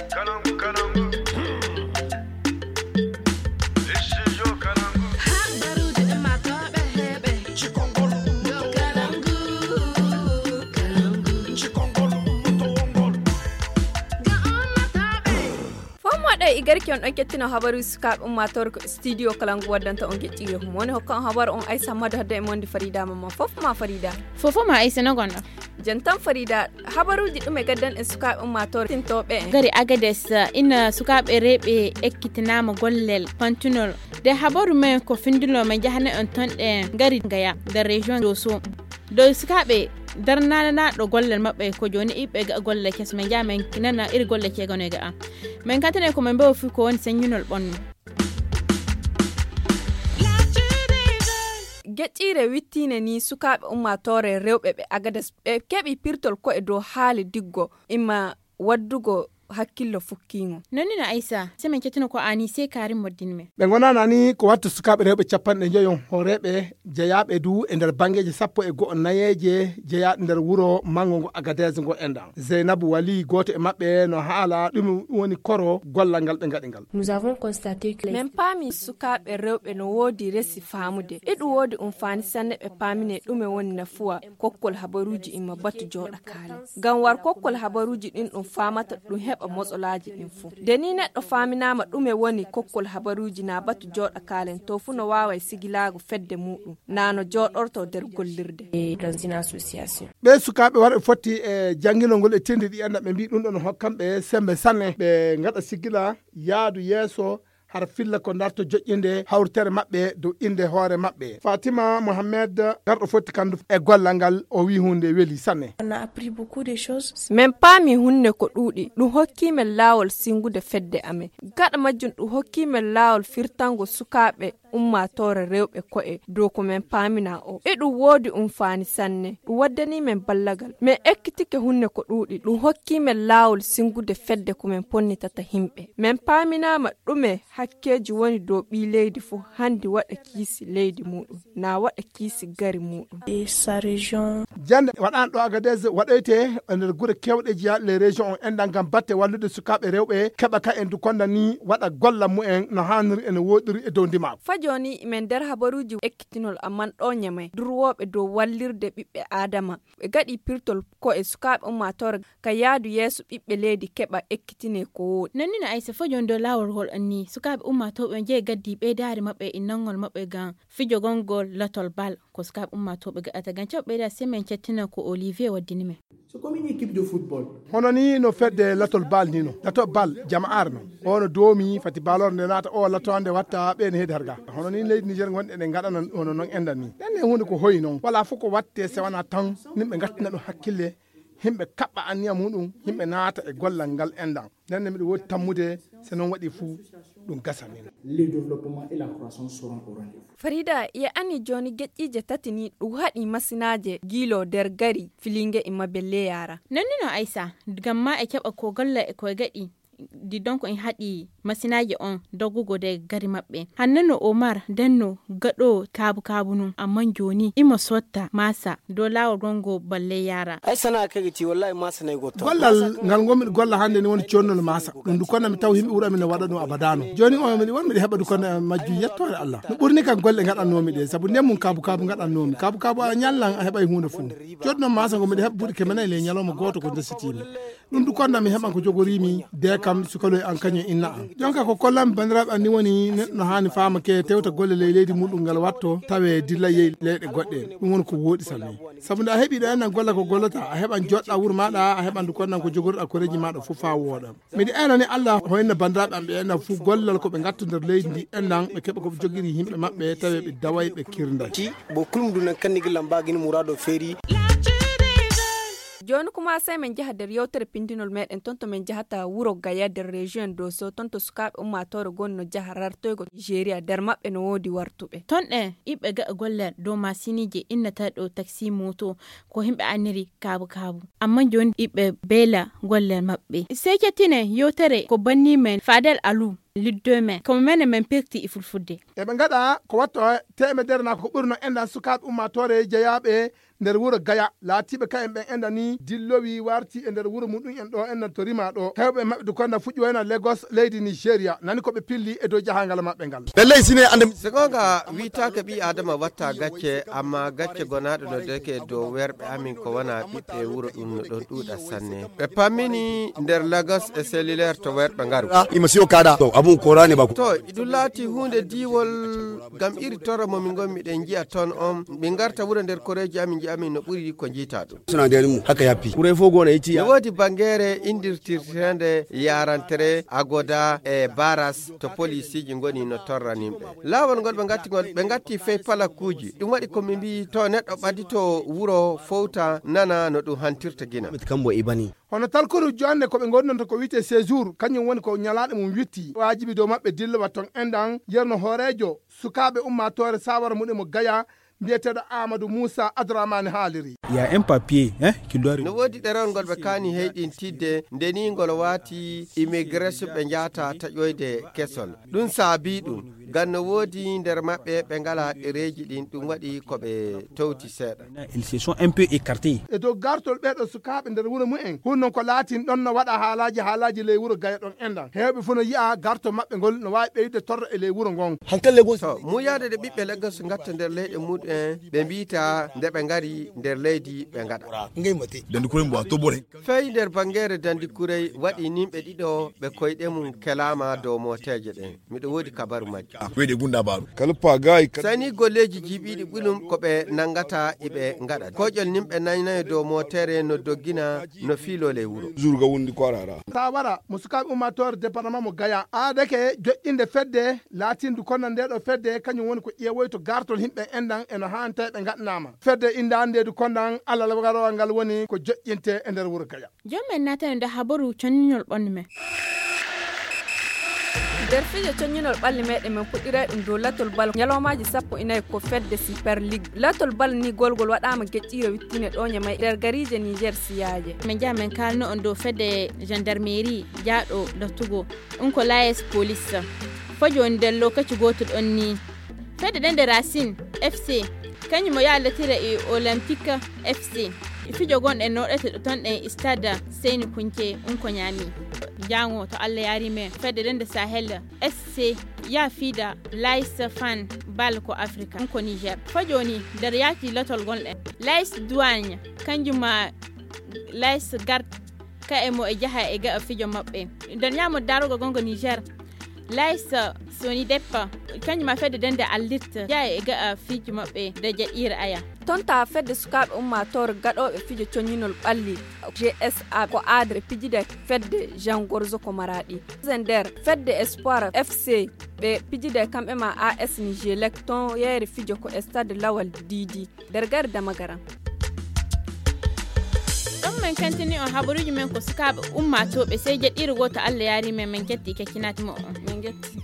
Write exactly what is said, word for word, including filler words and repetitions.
Fof moɗo e igarki on ɗon kettino habaruuji sukaaɓe ummaatoore ko studio kalangu waddanta on geƴƴiire hum woni hokka on habaru on aysa mado hadde e monde farida mamma fof ma farida. Fof ma aysa no gonɗo. Jantan farida, habaruuji ɗum e gaddan e sukaaɓe ummaatoore tintooɓe en gari agades. Ina sukaaɓe rewɓe ekkitinaama gollel pantunol. De habaru men ko findunoo men njahane on ton ɗe ngari ngaya nder région doso. Dow sukaaɓe darnanaaɗo gollal maɓɓe ko jooni iɓɓe ga gollal kes men njaha men nana iri golle ceegano e ga'a. Men kantane ko men mbewo fii ko woni seññunol ɓonno. Geƴƴiire wittiine ni sukaaɓe ummaatoore rewɓe ɓe agades ɓe keɓi pirtol ko e dow haali diggo imma waddugo hakkillo fukkiingo. Nonni no aysa se men cettino ko ani se kaari moddin men. Ɓe ngonana ni ko watta sukaaɓe rewɓe capanɗe njoyo hooreeɓe jeyaaɓe du e nder banngeeji sappo e go'o nayeeje jeyaaɗe nder wuro manngo ngo agadees ngo enɗan zeynabu wali gooto e maɓɓe no haala ɗum woni koro gollal ngal ɓe ngaɗi ngal. Nous avons constaté que les men paami sukaaɓe rewɓe no woodi resi faamude e ɗum woodi umfaani sanne ɓe paamine ɗume woni nafuwa kokkol habaruuji imma batu jooɗa kaale. Ngam war kokkol habaruuji ɗin ɗum faamata ɗum heɓa motsolaaji ɗin fof nde ni neɗɗo faaminaama ɗume woni kokkol habaruuji na batu jooɗa kaalen to fuu no waaway sigilaago fedde muuɗum na no jooɗorto nder gollirde. Ɓee sukaaɓe warɓe fotti e jannginol ngol e tindi ɗi annda ɓe mbii ɗum ɗon hokkan ɓe semmbe sanne ɓe ngaɗa sigila yaadu yeeso hara filla ko ndarto joƴƴinde hawritere maɓɓe dow innde hoore maɓɓe fatima mohammed garɗo fotti kandu e gollal ngal o wi hunde weli sanne. Min paami hunde ko ɗuuɗi ɗum hokkii men laawol singude fedde amen. Gaɗa majjum ɗum hokkii men laawol firtango sukaaɓe ummaatoore rewɓe ko'e dow ko men paamina o e ɗum woodi umfaani sanne. Ɗum waddanii men ballagal men ekkitike hunde ko ɗuuɗi ɗum hokkii men laawol singude fedde ko men ponnitata himɓe men paaminaama ɗume hakkeeji woni dow ɓii leydi fof hanndi waɗa kiisi leydi muuɗum na waɗa kiisi gari muuɗum. Jannde waɗaano ɗo agadez waɗoyte e nder gure kewɗe jeyaɗe les région on enɗan ngam batte wallude sukaaɓe rewɓe keɓa ka en du konda ni waɗa golla mumen no haaniri ene woɗiri e dow ndimaagu. Fa jooni men nder habaruuji ekkitinol amman ɗo ñamay durwooɓe dow wallirde ɓiɓɓe aadama ɓe gaɗi pirtol ko e sukaaɓe ummaatoore ka yaadu yeeso ɓiɓɓe leydi keɓa ekkitine ko wooɗi. Nannino aysa fo jooni dow laawol ngol anni sukaaɓe ummaatooɓe on jeyi gaddi ɓeydaari maɓɓe e innangol maɓɓe ngam fijo gonngol latol bal ko sukaaɓe ummaatooɓe gaɗata ngam caw ɓeyda semaine cettina ko olivier waddini men. Hono ni no fedde latol bal ni no latol bal jama'ar no ono doomi fati balor nde naata o lato ande watta ɓe ne heedi harga. Hono ni leydi niger gonɗe ɗe gaɗana hono noon endan ni ɗen ne hunde ko hoyi noon wala fof ko watte sewana tan nimɓe gattina ɗum hakkille. Himɓe kaɓɓa anniya muɗum himɓe naata e gollal ngal endan nden ne miɗo woodi tammude. So noon waɗi fuu ɗum gasa min. Les développements et la croissance seront au rendez-vous. Farida ye anni jooni geƴƴiije tati ni ɗum haɗi masinaaje giilo nder gari filinge e mabelle yaara. Nonni no aysa ngam ma e caɓa ko golla e koye gaɗi di donc en haɗi masinaaji on doggugo de gari maɓɓe. Hannano omar denno gaɗo kaabu kaabu nun amman jooni imo sotta masa dow laawol gongo balle yaara. Ay sana'a kege ti wallahi masa nay gotto gollal ngal ngonmi golla hannde ni woni connol masa ɗum du konna mi taw himɓe wuro amin no waɗa ɗum abadano. Jooni o miɗi won miɗi heɓa du konna majju yettoore allah no ɓurni kam golle gaɗannomi ɗe sabu nden mum kaabu kaabu gaɗannomi kaabu kaabu a ñallan a heɓay hunde fuu. Jodno masa ngo miɗa heɓa buuɗi keme nayi ley ñalawma gooto ko ndesitiimi. Ɗum du konda mi heɓan ko jogoriimi de kam sukaloy an kañum inna an jonka ko kollanmi banndiraaɓe an ni woni neɗɗo no haani faama ke tewta golle ley leydi muɗum ngal watto tawe dilla yehi leyɗe goɗɗe. Ɗum woni ko wooɗi sanne sabu nde a heɓi ɗo ennan golla ko gollata a heɓan joɗɗa wuro maɗa a heɓan du kondan ko jogorɗa koreji maɗa fof fa wooɗa. Miɗo eenani allah hoynna banndiraaɓe am ɓe eenna fuu gollal ko ɓe ngattu nder leydi ndi ennan ɓe keɓa ko ɓe jogiri yimɓe maɓɓe tawi ɓe daway ɓe kirday. Bo kulum du nan kanni gillan bagini murado feeri. Jooni kuma sey men njaha nder yewtere pindinol meɗen ton to men njahata wuro gaya nder région doso ton to sukaaɓe ummaatoore gonno njaha rartoygo nigeria nder maɓɓe no woodi wartuɓe ton ɗen iɓɓe ga'a gollal dow masinije innata ɗo taxi moto ko himɓe anniri kaabu kaabu. Amma jooni iɓɓe beela gollal maɓɓe sey cettine yewtere ko banni men fadel alu liddo men komo menen men pirti e fulfulde. Eɓe ngaɗa ko watto teemedere na ko ɓurno enɗan sukaaɓe ummaatoore jeyaaɓe nder wuro Gaya, laatiiɓe kayen ɓen enda ni dillowi warti e nder wuro muɗum en ɗo enna to rima ɗo. Heewɓe maɓɓe du konda fuɗɗi wayna Lagos, leydi Nigeria, nani ko ɓe pilli e dow jahangal maɓɓe ngal. Ɓe ley sine ande. So goonga, wiytaake ɓii Aadama watta gacce, amma gacce gonaaɗo no deke dow werɓe amin ko wona ɓiɓɓe wuro ɗum no ɗon ɗuuɗa sanne. Ɓe pammini nder Lagos e cellulaire to werɓe ngaru. Ah, ima siyo kaɗa. To, abun korani bako. To, ɗum laati huunde diiwol, ngam iri torra mo min ngon miɗen njiya ton on. Min ngarta wuro nder koreeji amin njiya min no ɓuri ko njiita ɗum. Suna da mu haka yafi. Kurai fogo na iti. No woodi bangeere indirtirteende yarantere, agoda e baras to polisiiji ngoni no torra nimɓe. Laawol ngol ɓe ngatti ngol, ɓe ngatti fey palakuuji. Ɗum waɗi ko mi mbiyi to neɗɗo ɓadito wuro fowta nana no ɗum hantirta gina. Kambo ibani. Hono talkuru jonne ko ɓe ngondonta ko wiyte séjour, kañum woni ko ñalaaɗo mum witti. Waajibi dow maɓɓe dillowa ton enɗan yerno hooreejo sukaaɓe ummaatoore sawara muɗum mo Gaya, mbiyeteeɗo Amadou Moussa Adramani haaliri. Il y a un papier, hein, qui doit... No woodi ɗerewol ngol ɓe kaani heyɗintidde, nde ni ngol waati immigration ɓe njaata taƴoyde kesol. Ɗum saabii ɗum, ngam no woodi nder maɓɓe ɓe ngalaa ɗereeji ɗin, ɗum waɗi ko ɓe towti seeɗa. Ils se sont un peu écartés. E dow gartol ɓeeɗo sukaaɓe nder wuro mumen, hun non ko laatin ɗon no waɗa haalaaji, haalaaji ley wuro Gaya ɗon enɗan. Heewɓe fof no yi'a gartol maɓɓe ngol no waawi ɓeydude torra e ley wuro ngon. Hankali Lagos. To, muuyaade ɗe ɓiɓɓe Lagos ngatta nder leyɗe muɗum en, ɓe mbiita nde ɓe ngari nder leydi ɓe ngaɗa. Ngay mate. Dandi kuren bo a to bore. Fey nder bangeere Dandi Kurey waɗi nimɓe ɗiɗo ɓe koyɗe mum kelaama dow mooteeje ɗen. Miɗo woodi kabaru majje. Ah, wede gunda baru. Kala pagaay, kala... Sani golleeji jiiɓiiɗi ɓulum ko ɓe nangata iɓe ngaɗa. Koƴol nimɓe naynayo dow mootere no doggina no fiiloo ley wuro. Zurga wundi kwarara. Sawara mo sukaaɓe ummaatoore département mo Gaya. Aadake joƴƴinde fedde laatindu kono nde ɗo fedde kañum woni ko ƴeewoyto gartol himɓe enɗan e no haanta ɓe ngaɗanaama. Fedde indaande du kondan alal garowal ngal woni ko joƴƴinte e nder wuro Gaya. Joom men naatani nde habaru conñinol ɓandu men. Nder fijo conñinol ɓalli meɗen men puɗɗiray ɗum dow latol bal ñalawmaaji sappo e nayi ko fedde Super League. Latol bal ni golgol waɗaama geƴƴiire wittine ɗo ñamay nder gariije Niger siyaaje. Min njaha min kaalno on dow fedde gendarmerie jaaɗo dottugo ɗum ko l'A S police. Fo jooni nder lokaci gooto ɗon ni. Fedde ɗen nde Racine F C, kañum mo yaaldatira e Olympique F C. Fijo gonɗe noɗete ɗo ton ɗen stade Seyni Kunce, ɗum ko ñaami. Jaango to Allah yaari men, fedde ɗen nde Sahel S C ya fiida Lais Fan bal ko Afrika, ɗum ko Niger. Fo jooni nder yaati lotol gonɗen. Lais Douane, kañum ma Lais Garde, ka e mo e jaha e ga'a fijo maɓɓe. Nder ñaamo darogo gongo Niger, Lais Soni Deppa, kañum ma fedde dende Allitte, jaha e ga'a fijo maɓɓe de jaɗiire aya. Tonta fedde sukaaɓe ummaatoore gaɗooɓe fijo coñinol ɓalli G S A ko aadre pijide fedde Jean Gorzo ko Maraɗi. Nder fedde Espoir F C ɓe pijide kamɓe ma A S Nigelec ton yeere fijo ko e stade Lawal Didi. Nder gari Damagaram. Ɗon men kantini on habaruuji men ko sukaaɓe ummaatooɓe, sey jeɗɗiire gooto Allah yaari men, men ketti keccinaati mo on. Min getti.